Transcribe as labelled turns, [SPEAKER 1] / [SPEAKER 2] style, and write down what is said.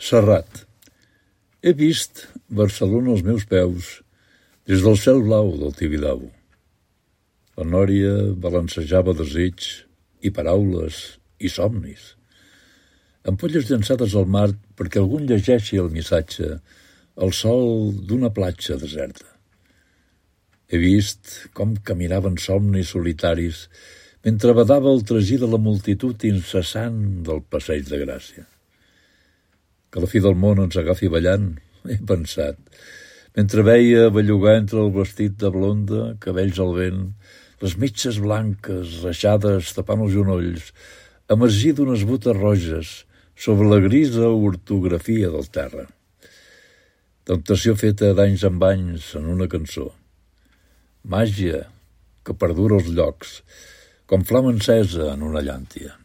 [SPEAKER 1] Serrat. He vist Barcelona als meus peus, des del cel blau del Tibidabo. La nòria balancejava desig i paraules i somnis. Ampolles llançades al mar perquè algú llegeixi el missatge al sol d'una platja deserta. He vist com caminaven somnis solitaris mentre badava el tragí de la multitud incessant del passeig de Gràcia. Que la fi del món ens agafi ballant, he pensat, mentre veia bellugar entre el vestit de blonda, cabells al vent, les mitges blanques reixades tapant els genolls, emergir d'unes botes roges sobre la grisa ortografia del terra. Temptació feta d'anys en anys en una cançó. Màgia que perdura els llocs, com flama encesa en una llàntia.